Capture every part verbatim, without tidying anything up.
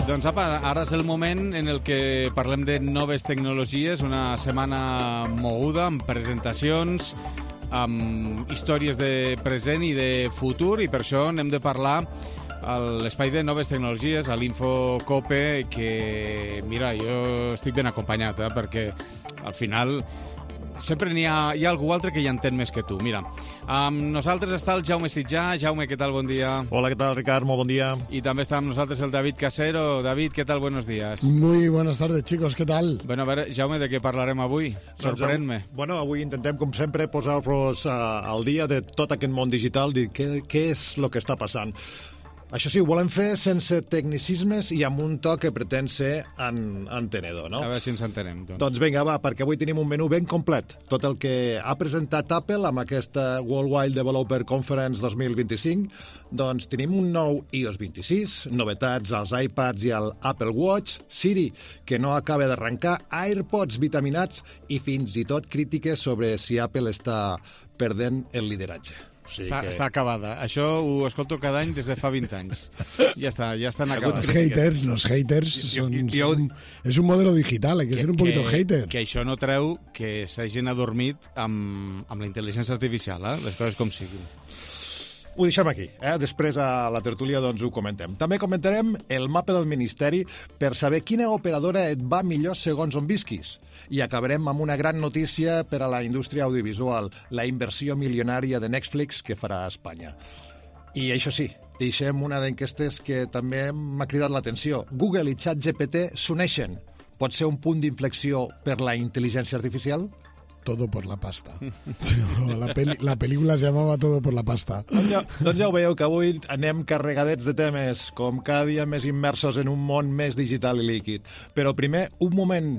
Doncs apa, ara és el moment en el que parlem de noves tecnologies, una setmana moguda amb presentacions, amb històries de present i de futur, i per això n'hem de parlar a l'espai de noves tecnologies, a l'InfoCope, que, mira, jo estic ben acompanyat, eh, perquè al final sempre n'hi ha, hi ha algú altre que hi entén més que tu. Mira, amb nosaltres està el Jaume Sitjà. Jaume, què tal? Bon dia. Hola, què tal, Ricard? Molt bon dia. Y también está con nosotros el David Casero. David, ¿qué tal? Buenos días. Muy buenas tardes, chicos. ¿Qué tal? Bueno, a veure, Jaume, de què parlarem avui? Sorprèn-me. Doncs, bueno, avui intentem, com sempre, posar-vos uh, al dia de tot aquest món digital, dir què, què és el que està passant. Això sí, ho volem fer sense tecnicismes i amb un toc que pretén ser en, entenedor, no? A veure si ens entenem. Doncs. doncs vinga, va, perquè avui tenim un menú ben complet. Tot el que ha presentat Apple amb aquesta Worldwide Developer Conference dos mil vint-i-cinc, doncs tenim un nou i O S vint-i-sis, novetats als iPads i al Apple Watch, Siri, que no acaba d'arrencar, AirPods vitaminats i fins i tot crítiques sobre si Apple està perdent el lideratge. O sigui està, que... està acabada. Això ho escolto cada any des de fa vint anys. Ja està, ja estan acabats. Los haters, los haters son, jo, son, és un modelo digital, hay que, que ser un poquito que, hater. Que això no treu que s'hagin adormit amb, amb la intel·ligència artificial, eh? Les coses com siguin. Ho deixem aquí, eh? Després a la tertúlia doncs ho comentem. També comentarem el mapa del Ministeri per saber quina operadora et va millor segons on visquis. I acabarem amb una gran notícia per a la indústria audiovisual, la inversió milionària de Netflix que farà a Espanya. I això sí, deixem una d'enquestes que també m'ha cridat l'atenció. Google i ChatGPT s'uneixen. Pot ser un punt d'inflexió per la intel·ligència artificial? Todo por la pasta. Sí, la, peli, la pel·lícula se llamava Todo por la pasta. Doncs ja, doncs ja ho veieu, que avui anem carregadets de temes, com cada dia més immersos en un món més digital i líquid. Però primer, un moment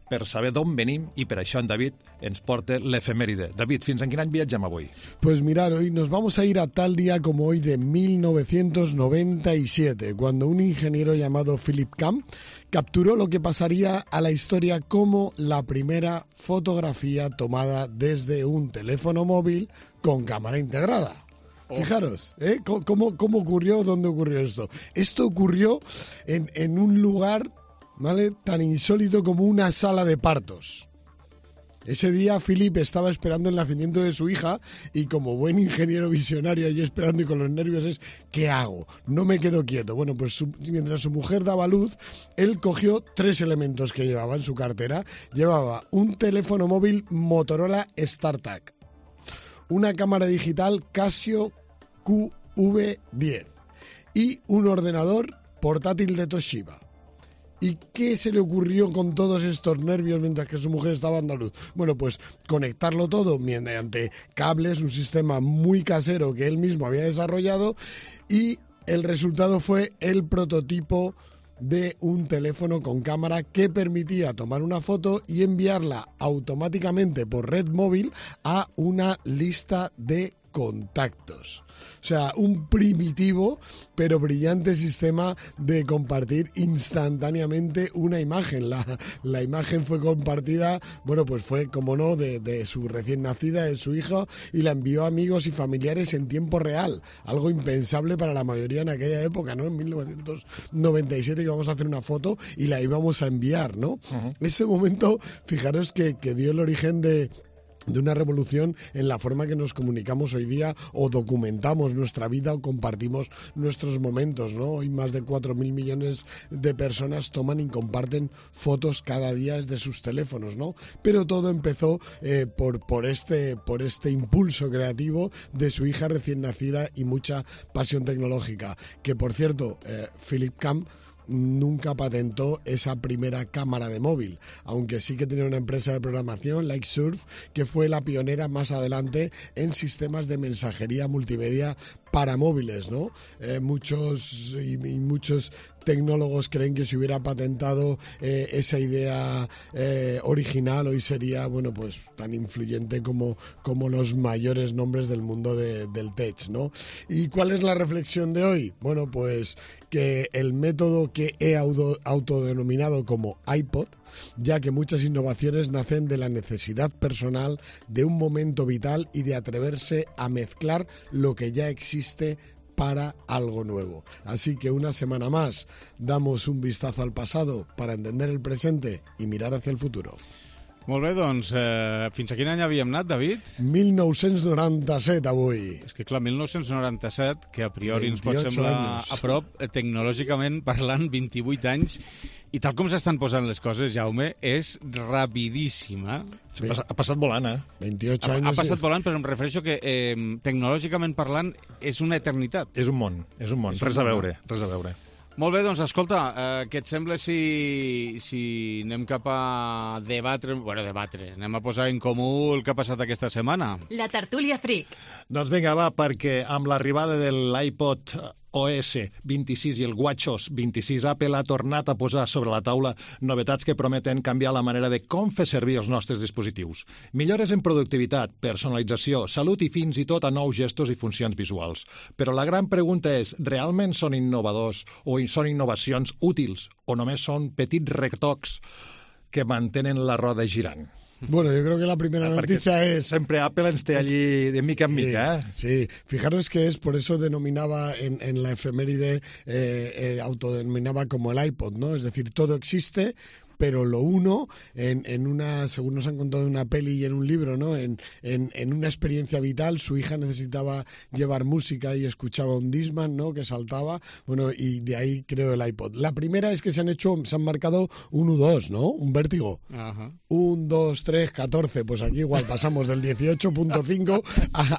per saber d'on venim, i per això en David ens porta l'efemèride. David, fins en quin any viatgem avui? Pues mirar, hoy nos vamos a ir a tal día como hoy de mil novecientos noventa y siete, cuando un ingeniero llamado Philip Cam capturó lo que pasaría a la historia como la primera fotografía tomada desde un teléfono móvil con cámara integrada. Oh. Fijaros, ¿eh? ¿Cómo, cómo ocurrió? ¿Dónde ocurrió esto? Esto ocurrió en, en un lugar, ¿vale?, tan insólito como una sala de partos. Ese día Philip estaba esperando el nacimiento de su hija y como buen ingeniero visionario allí esperando y con los nervios es ¿qué hago? No me quedo quieto. Bueno, pues su, mientras su mujer daba luz, él cogió tres elementos que llevaba en su cartera. Llevaba un teléfono móvil Motorola StarTAC, una cámara digital Casio Q V diez y un ordenador portátil de Toshiba. ¿Y qué se le ocurrió con todos estos nervios mientras que su mujer estaba dando a luz? Bueno, pues conectarlo todo mediante cables, un sistema muy casero que él mismo había desarrollado, y el resultado fue el prototipo de un teléfono con cámara que permitía tomar una foto y enviarla automáticamente por red móvil a una lista de contactos. O sea, un primitivo pero brillante sistema de compartir instantáneamente una imagen. La, la imagen fue compartida, bueno, pues fue, como no, de, de su recién nacida, de su hija, y la envió a amigos y familiares en tiempo real. Algo impensable para la mayoría en aquella época, ¿no? En mil novecientos noventa y siete íbamos a hacer una foto y la íbamos a enviar, ¿no? Uh-huh. Ese momento, fijaros que, que dio el origen de... de una revolución en la forma que nos comunicamos hoy día o documentamos nuestra vida o compartimos nuestros momentos, ¿no? Hoy más de cuatro mil millones de personas toman y comparten fotos cada día desde sus teléfonos, ¿no? Pero todo empezó eh, por, por, este, por este impulso creativo de su hija recién nacida y mucha pasión tecnológica. Que, por cierto, eh, Philip Cam nunca patentó esa primera cámara de móvil, aunque sí que tenía una empresa de programación, LikeSurf, que fue la pionera más adelante en sistemas de mensajería multimedia para móviles, ¿no? Eh, muchos y, y muchos tecnólogos creen que si hubiera patentado eh, esa idea eh, original, hoy sería, bueno, pues tan influyente como, como los mayores nombres del mundo de, del tech, ¿no? ¿Y cuál es la reflexión de hoy? Bueno, pues que el método que he auto, autodenominado como iPod, ya que muchas innovaciones nacen de la necesidad personal de un momento vital y de atreverse a mezclar lo que ya existe para algo nuevo. Así que una semana más damos un vistazo al pasado para entender el presente y mirar hacia el futuro. Molt bé, doncs, eh, fins a quin any havíem anat, David? mil nou-cents noranta-set, avui. És que, clar, mil nou-cents noranta-set, que a priori ens pot veintiocho semblar años. a prop, eh, tecnològicament parlant, vint-i-vuit anys, i tal com s'estan posant les coses, Jaume, és rapidíssima. Ha passat, ha passat volant, eh? veintiocho Ha, años. ha passat volant, però em refereixo que eh, tecnològicament parlant és una eternitat. És un món, és un món. És un Res a món. veure, res a veure. Molt bé, doncs escolta, eh, què et sembla si, si anem cap a debatre, bueno, debatre, anem a posar en comú el que ha passat aquesta setmana? La tertúlia Freak. Doncs vinga, va, perquè amb l'arribada de l'iPod O S vint-i-sis i el WatchOS vint-i-sis, Apple ha tornat a posar sobre la taula novetats que prometen canviar la manera de com fer servir els nostres dispositius. Millores en productivitat, personalització, salut i fins i tot a nous gestos i funcions visuals. Però la gran pregunta és, realment són innovadors o són innovacions útils o només són petits retocs que mantenen la roda girant? Bueno, yo creo que la primera noticia es... Sempre Apple ens té allí de mica en mica, ¿eh? Sí, fijaros que es por eso denominaba en, en la efeméride, eh, eh, autodenominaba como el iPod, ¿no? Es decir, todo existe, pero lo uno, en, en una, según nos han contado en una peli y en un libro, ¿no? En, en, en una experiencia vital, su hija necesitaba llevar música y escuchaba un Discman, ¿no? Que saltaba, bueno, y de ahí creo el iPod. La primera es que se han hecho, se han marcado un U dos, ¿no? Un vértigo. Ajá. Un, dos, tres, catorce. Pues aquí igual pasamos del dieciocho punto cinco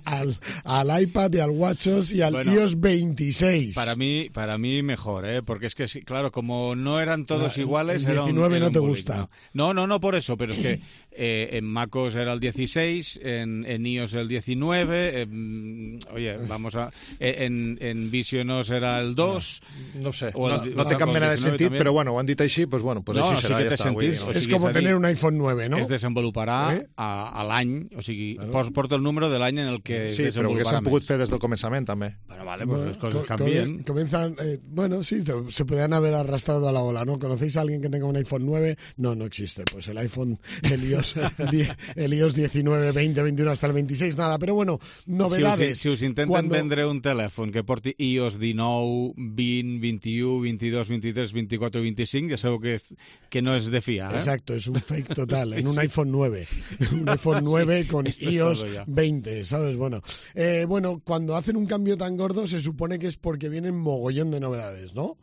al, al iPad y al WatchOS y al Bueno, iOS veintiséis. Para mí, para mí mejor, ¿eh? Porque es que, sí, claro, como no eran todos La- iguales... el era un- diecinueve era no un te bullying, gusta. No, no, no por eso, pero es que eh, en MacOS era el dieciséis, en, en iOS el diecinueve, en- oye, vamos a... En, en VisionOS era el dos... No sé, O no, el- no té o cap el mena de diecinueve sentit, també. però bueno, ho han dit així, doncs bueno, pues No, així sí serà, que ja té està. vull dir, sentit, no? o Es sigui, como és a dir, tener un iPhone nueve, ¿no? es desenvoluparà Eh? a, a l'any, o sigui, Claro. pos, porta el número de l'any en el que Sí, es però ho desenvoluparà haguessin pogut més. fer des del començament, també. Bueno, vale, pues Bueno, las cosas co- cambian. come- Comienzan, eh, bueno, sí, te- se podrían haber arrastrado a la ola, ¿no? ¿Conocéis a alguien que tenga un iPhone nueve? No, no existe. Pues el iPhone, el iOS, die- el iOS diecinueve, veinte, veintiuno hasta el veintiséis, nada. Pero bueno, novedades. Si us, si us intenten Cuando- vendre un telèfon que porti iOS dinou, vint, vint-i-u, vint-i-dos, vint-i-tres, vint-i-quatre, vint-i-cinc, ja sabeu que, és, que no és de fiar, eh? Exacto, es un fake total, en un iPhone nueve. Un iPhone nueve con esto es iOS todo ya. veinte, ¿sabes? Bueno, eh, bueno, cuando hacen un cambio tan gordo se supone que es porque vienen mogollón de novedades, ¿no?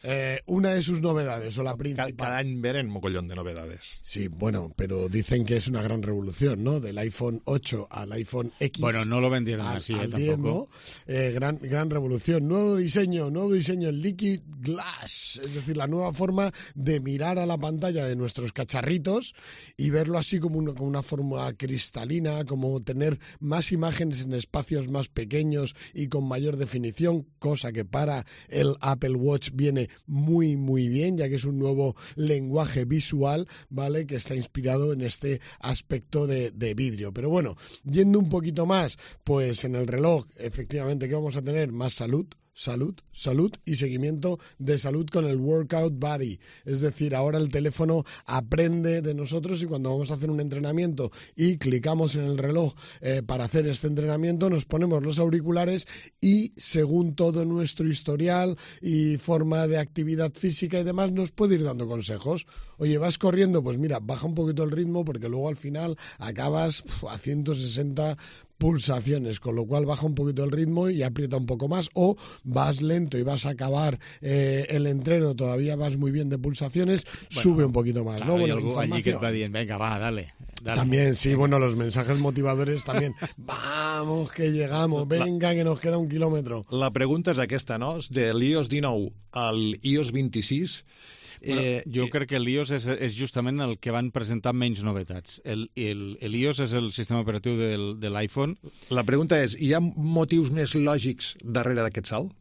Eh, una de sus novedades, o la Cada, principal. cada any venen mogollón de novedades. Sí, bueno, pero dicen que es una gran revolución, ¿no? Del iPhone ocho al iPhone X. Bueno, no lo vendieron al, así, eh, al diez, tampoco. ¿no? Eh, gran, gran revolución. Nuevo diseño, nuevo diseño, el Liquid Glass. Es decir, la nueva forma de mirar a la pantalla de nuestros cacharritos y verlo así como una, como una forma cristalina, como tener más imágenes en espacios más pequeños y con mayor definición, cosa que para el Apple Watch viene muy, muy bien, ya que es un nuevo lenguaje visual, ¿vale? Que está inspirado en este aspecto de, de vidrio. Pero bueno, yendo un poquito más, pues en el reloj, efectivamente, ¿qué vamos a tener? Más salud. Salud, salud y seguimiento de salud con el Workout Buddy. Es decir, ahora el teléfono aprende de nosotros y cuando vamos a hacer un entrenamiento y clicamos en el reloj eh, para hacer este entrenamiento, nos ponemos los auriculares y según todo nuestro historial y forma de actividad física y demás, nos puede ir dando consejos. Oye, vas corriendo, pues mira, baja un poquito el ritmo porque luego al final acabas pf, a ciento sesenta pulsaciones, con lo cual baja un poquito el ritmo y aprieta un poco más, o vas lento y vas a acabar eh, el entreno, todavía vas muy bien de pulsaciones, Bueno, sube un poquito más, Claro, ¿no? hay Bueno, algú allí que et información. va dient, venga, va, dale. dale. También, sí, bueno, los mensajes motivadores también. Vamos, que llegamos, venga, que nos queda un kilómetro. La pregunta és aquesta, no? De l'iOS dinou al iOS vint-i-sis... Bueno, Eh, jo crec que l'iOS és, és justament el que van presentar menys novetats. El, el, el iOS és el sistema operatiu del, de l'iPhone, La pregunta és, hi ha motius més lògics darrere d'aquest salt?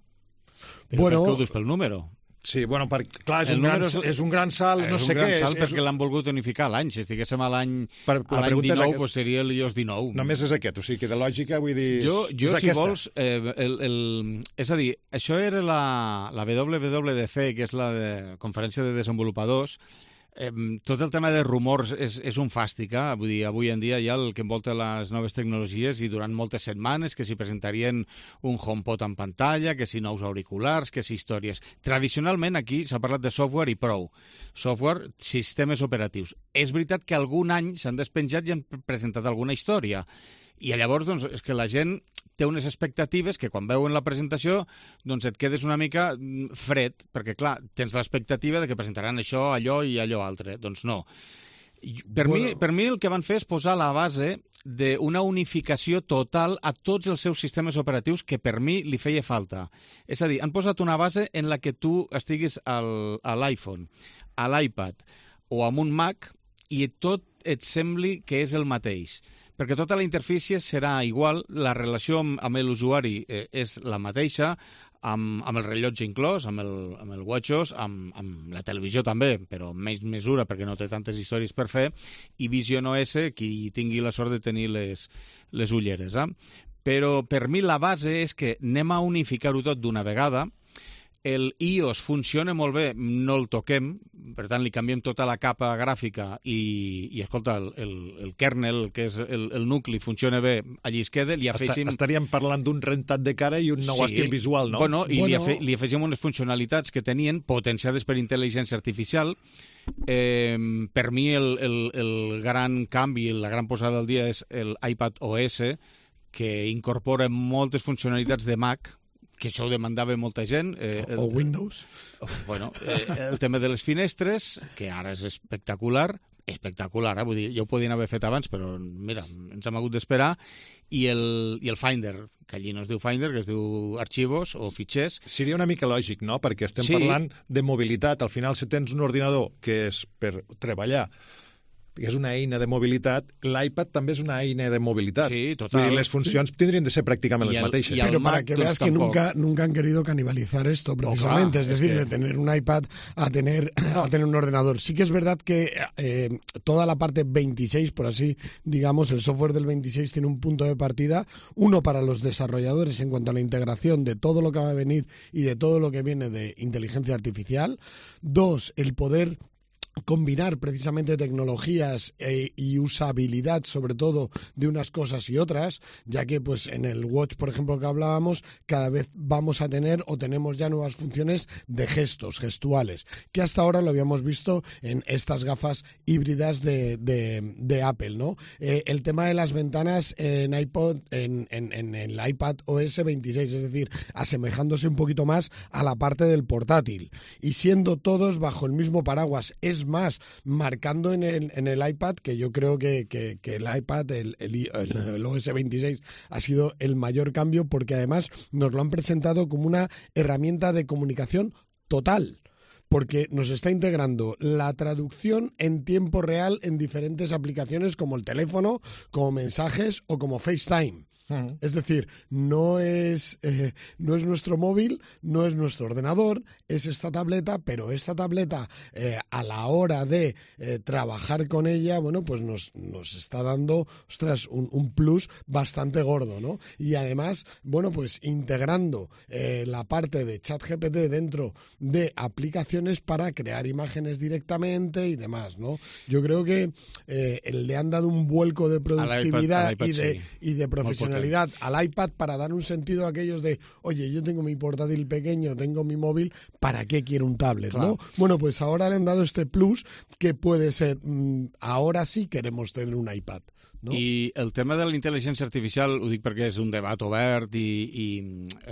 però Bueno, per què ho dius pel número? Sí, bueno, per, clar, és El un, gran, número és- és un gran salt, no és sé un gran què. salt és, perquè l'han volgut unificar a l'any. Si estiguéssim a l'any Per- a la l'any pregunta és dinou, aquest. doncs seria l'iOS dinou. Només és aquest, o sigui que de lògica vull dir... Jo, jo és si aquesta. vols, eh, el, el, és a dir, això era la, la W W D C, que és la de, conferència de desenvolupadors, eh, tot el tema de rumors és, és un fàstic, eh? Vull dir, avui en dia hi ha el que envolta les noves tecnologies i durant moltes setmanes que s'hi presentarien un HomePod en pantalla, que si nous auriculars, que si històries. Tradicionalment aquí s'ha parlat de software i prou. Software, sistemes operatius. És veritat que algun any s'han despenjat i han presentat alguna història. I llavors, doncs, és que la gent té unes expectatives que quan veuen la presentació doncs et quedes una mica fred, perquè, clar, tens l'expectativa de que presentaran això, allò i allò altre. Doncs no. Per, bueno. mi, per mi el que van fer és posar la base d'una unificació total a tots els seus sistemes operatius que per mi li feia falta. És a dir, han posat una base en la que tu estiguis al, a l'iPhone, a l'iPad o amb un Mac i tot et sembli que és el mateix. Perquè tota la interfície serà igual, la relació amb, amb l'usuari eh, és la mateixa, amb, amb el rellotge inclòs, amb el, amb el WatchOS, amb, amb la televisió també, però amb menys mesura perquè no té tantes històries per fer, i Vision O S, qui tingui la sort de tenir les, les ulleres. Eh? Però per mi la base és que anem a unificar-ho tot d'una vegada. El iOS funciona molt bé, no el toquem, per tant li canviem tota la capa gràfica i, i escolta, el, el, el kernel, que és el, el nucli, funciona bé, allí es queda, li afegim... Estaríem parlant d'un rentat de cara i un nou sí. estil visual, no? Bueno, i bueno... Li, afe, li afegim unes funcionalitats que tenien potenciades per intel·ligència artificial. Eh, per mi el, el, el gran canvi, la gran posada al dia és el iPad O S, que incorpora moltes funcionalitats de Mac, que això ho demandava molta gent. Eh, el, o Windows. Bueno, eh, el tema de les finestres, que ara és espectacular, espectacular, eh? Vull dir, ja ho podien haver fet abans, però mira, ens hem hagut d'esperar, i el, i el Finder, que allí no es diu Finder, que es diu Arxivos o Fitxers. Seria una mica lògic, no?, perquè estem sí. parlant de mobilitat. Al final, si tens un ordinador que és per treballar, que és una eina de mobilitat, l'iPad també és una eina de mobilitat. Sí, total. Vull dir, les funcions sí. tendrien de ser prácticamente el, las mateixes. Pero para que veas que nunca, nunca han querido canibalizar esto, precisamente. Oh, claro, es decir, es que... de tener un iPad a tener, a tener un ordenador. Sí que es verdad que eh, toda la parte veintiséis, por así digamos, el software del veintiséis tiene un punto de partida, uno para los desarrolladores en cuanto a la integración de todo lo que va a venir y de todo lo que viene de inteligencia artificial. Dos, el poder combinar precisamente tecnologías eh, y usabilidad, sobre todo, de unas cosas y otras, ya que pues en el Watch, por ejemplo, que hablábamos, cada vez vamos a tener o tenemos ya nuevas funciones de gestos, gestuales, que hasta ahora lo habíamos visto en estas gafas híbridas de, de, de Apple, ¿no? Eh, el tema de las ventanas en iPod, en, en, en el iPad O S veintiséis, es decir, asemejándose un poquito más a la parte del portátil y siendo todos bajo el mismo paraguas. Es más, marcando en el, en el iPad, que yo creo que, que, que el iPad, el, el, el O S veintiséis, ha sido el mayor cambio porque además nos lo han presentado como una herramienta de comunicación total, porque nos está integrando la traducción en tiempo real en diferentes aplicaciones como el teléfono, como mensajes o como FaceTime. Uh-huh. Es decir, no es, eh, no es nuestro móvil, no es nuestro ordenador, es esta tableta, pero esta tableta eh, a la hora de eh, trabajar con ella, bueno, pues nos, nos está dando, ostras, un, un plus bastante gordo, ¿no? Y además, bueno, pues integrando eh, la parte de ChatGPT dentro de aplicaciones para crear imágenes directamente y demás, ¿no? Yo creo que eh, le han dado un vuelco de productividad al iPad, al iPad, y, de, sí. y de profesionalidad al iPad para dar un sentido a aquellos de, oye, yo tengo mi portátil pequeño, tengo mi móvil, ¿para qué quiero un tablet? Claro. ¿No? Bueno, pues ahora le han dado este plus que puede ser, mmm, ahora sí queremos tener un iPad. No? I el tema de la intel·ligència artificial, ho dic perquè és un debat obert i, i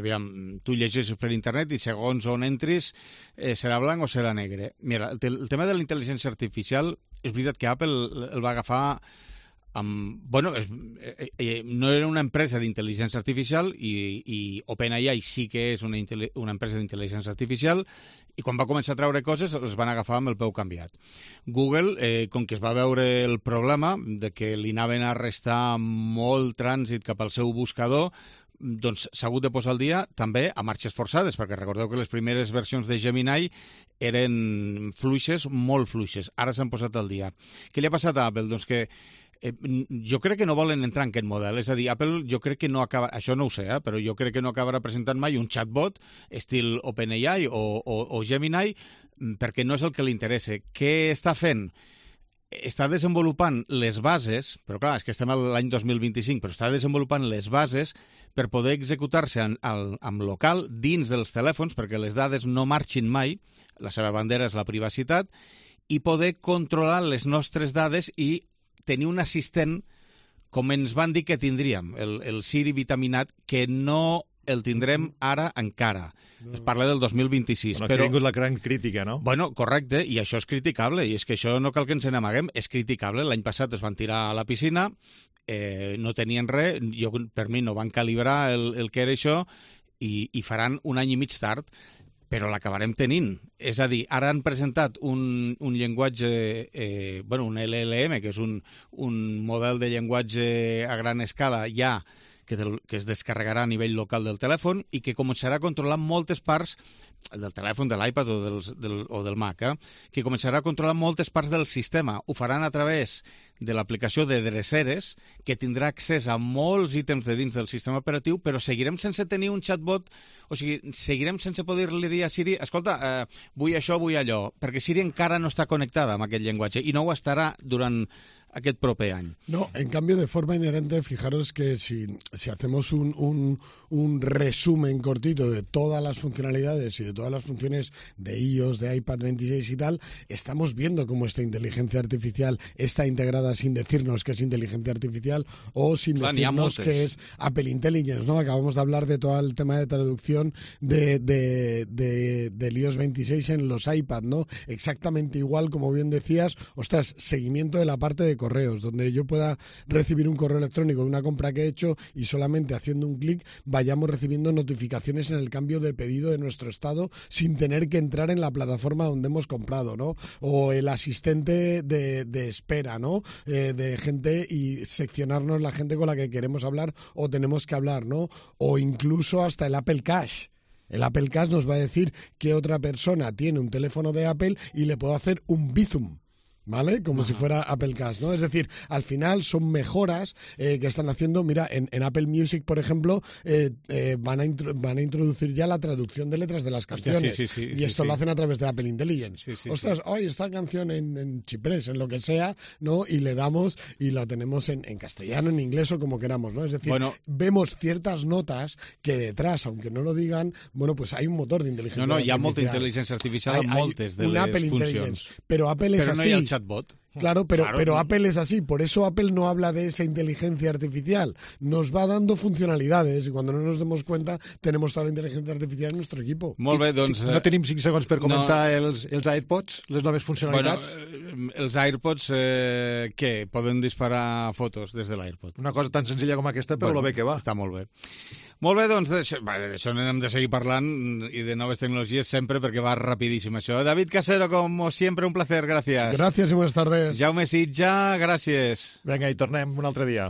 aviam, tu llegeixes per internet i segons on entris eh, serà blanc o serà negre. Mira, el, el tema de la intel·ligència artificial és veritat que Apple el va agafar amb, bueno, és, eh, eh, no era una empresa d'intel·ligència artificial i, i OpenAI sí que és una, una empresa d'intel·ligència artificial i quan va començar a treure coses els van agafar amb el peu canviat. Google, eh, com que es va veure el problema de que li anaven a restar molt trànsit cap al seu buscador, doncs s'ha hagut de posar al dia també a marxes forçades, perquè recordeu que les primeres versions de Gemini eren fluixes, molt fluixes. Ara s'han posat al dia. Què li ha passat a Apple? Doncs que Eh, jo crec que no volen entrar en aquest model. És a dir, Apple jo crec que no acaba... Això no ho sé, eh? Però jo crec que no acabarà presentant mai un chatbot estil OpenAI o, o, o Gemini perquè no és el que li interessa. Què està fent? Està desenvolupant les bases, però clar, és que estem a l'any dos mil vint-i-cinc, però està desenvolupant les bases per poder executar-se en, en, en local dins dels telèfons, perquè les dades no marxin mai, la seva bandera és la privacitat, i poder controlar les nostres dades i tenir un assistent com ens van dir que tindríem, el, el Siri vitaminat, que no el tindrem ara encara. No. Es parla del dos mil vint-i-sis. Bueno, però... ha vingut la gran crítica, no? Bueno, correcte, i això és criticable, i és que això no cal que ens n'amaguem, és criticable. L'any passat es van tirar a la piscina, eh, no tenien res, jo, per mi no van calibrar el, el que era això, i, i faran un any i mig tard, però l'acabarem tenint. És a dir, ara han presentat un, un llenguatge, eh, bueno, un L L M, que és un, un model de llenguatge a gran escala ja, que, del, que es descarregarà a nivell local del telèfon i que començarà a controlar moltes parts del telèfon, de l'iPad o, dels, del, o del Mac, eh? que començarà a controlar moltes parts del sistema. Ho faran a través de l'aplicació de dreceres, que tindrà accés a molts ítems de dins del sistema operatiu, però seguirem sense tenir un chatbot, o sigui, seguirem sense poder-li dir a Siri, escolta, eh, vull això, vull allò, perquè Siri encara no està connectada amb aquest llenguatge i no ho estarà durant aquest proper any. No, en cambio, de forma inherente, fijaros que si, si hacemos un, un, un resumen cortito de todas las funcionalidades y de todas las funciones de iOS, de iPad veintiséis y tal, estamos viendo cómo esta inteligencia artificial está integrada sin decirnos que es inteligencia artificial o sin Clar, decirnos que es Apple Intelligence, ¿no? Acabamos de hablar de todo el tema de traducción de, de, de, del iOS veintiséis en los iPad, ¿no? Exactamente igual, como bien decías, ostras, seguimiento de la parte de correos, donde yo pueda recibir un correo electrónico de una compra que he hecho y solamente haciendo un clic vayamos recibiendo notificaciones en el cambio de pedido de nuestro estado sin tener que entrar en la plataforma donde hemos comprado, ¿no? O el asistente de, de espera, ¿no? Eh, de gente y seccionarnos la gente con la que queremos hablar o tenemos que hablar, ¿no? O incluso hasta el Apple Cash. El Apple Cash nos va a decir que otra persona tiene un teléfono de Apple y le puedo hacer un bizum, ¿vale? Como Ajá. si fuera Apple Cash, ¿no? Es decir, al final son mejoras eh, que están haciendo. Mira, en, en Apple Music, por ejemplo, eh, eh, van, a van a introducir ya la traducción de letras de las canciones. Sí, sí, sí, y sí, esto sí. lo hacen a través de Apple Intelligence. Sí, sí, Ostras, hoy sí. esta canción en, en chiprés, en lo que sea, ¿no? Y le damos y la tenemos en, en castellano, en inglés o como queramos, ¿no? Es decir, bueno, vemos ciertas notas que detrás, aunque no lo digan, bueno, pues hay un motor de inteligencia artificial. No, no, hi ha molta intel·ligència artificial en moltes de les Apple funcions. Pero Apple es Però no así. hi ha el chatbot. Claro, pero, claro, pero no. Apple es así, por eso Apple no habla de esa inteligencia artificial, nos va dando funcionalidades y cuando no nos demos cuenta tenemos toda la inteligencia artificial en nuestro equipo. Molt bé, doncs... No tenim cinc segons per comentar no. els, els AirPods, les noves funcionalitats? Bueno, els AirPods, eh, què? Poden disparar fotos des de l'AirPod. Una cosa tan senzilla com aquesta, però bueno, lo bé que va. Està molt bé. Molt bé, doncs, d'això d'això n'hem de seguir parlant i de noves tecnologies sempre perquè va rapidíssim això. David Casero, como siempre, un placer, gracias. Gracias y buenas tardes. Jaume Sitja, gràcies. Vinga, i tornem un altre dia.